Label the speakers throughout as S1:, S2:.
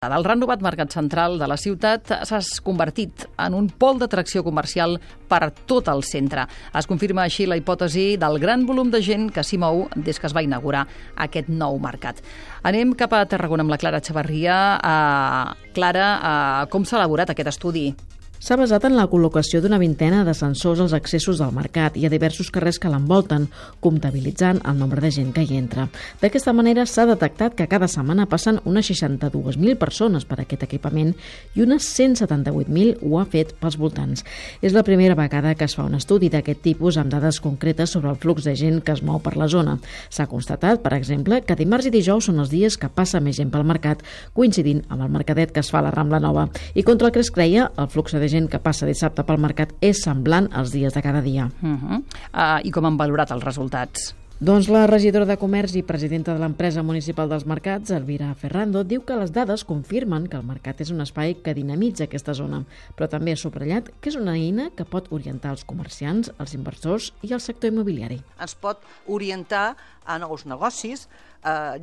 S1: El renovat mercat central de la ciutat s'ha convertit en un pol d'atracció comercial per tot el centre. Es confirma així la hipòtesi del gran volum de gent que s'hi mou des que es va inaugurar aquest nou mercat. Anem cap a Tarragona amb la Clara Chavarria. Clara, com s'ha elaborat aquest estudi?
S2: S'ha basat en la col·locació d'una vintena de sensors als accessos del mercat i a diversos carrers que l'envolten, comptabilitzant el nombre de gent que hi entra. D'aquesta manera s'ha detectat que cada setmana passen unes 62.000 persones per aquest equipament i unes 178.000 ho ha fet pels voltants. És la primera vegada que es fa un estudi d'aquest tipus amb dades concretes sobre el flux de gent que es mou per la zona. S'ha constatat, per exemple, que dimarts i dijous són els dies que passa més gent pel mercat, coincidint amb el mercadet que es fa a la Rambla Nova. I contra el que es creia, el flux de gent que passa dissabte pel mercat és semblant als dies de cada dia.
S1: I com han valorat els resultats?
S2: Doncs la regidora de Comerç i presidenta de l'empresa municipal dels mercats, Elvira Ferrando, diu que les dades confirmen que el mercat és un espai que dinamitza aquesta zona, però també ha subratllat que és una eina que pot orientar els comerciants, els inversors i el sector immobiliari.
S3: Ens pot orientar a nous negocis,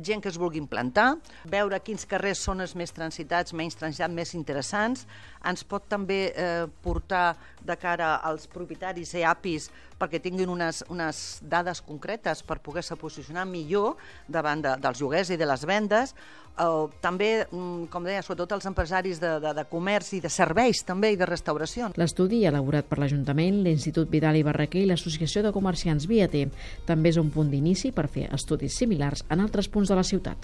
S3: gent que es vulgui implantar, veure quins carrers són els més transitats, menys transitats, més interessants. Ens pot també portar de cara als propietaris i APIs perquè tinguin unes dades concretes per poder-se posicionar millor davant dels lloguers i de les vendes. També, com deia, sobretot els empresaris de comerç i de serveis també i de restauració.
S2: L'estudi elaborat per l'Ajuntament, l'Institut Vidal i Barraquer i l'Associació de Comerciants Viater també és un punt d'inici per fer estudis similars en altres punts de la ciutat.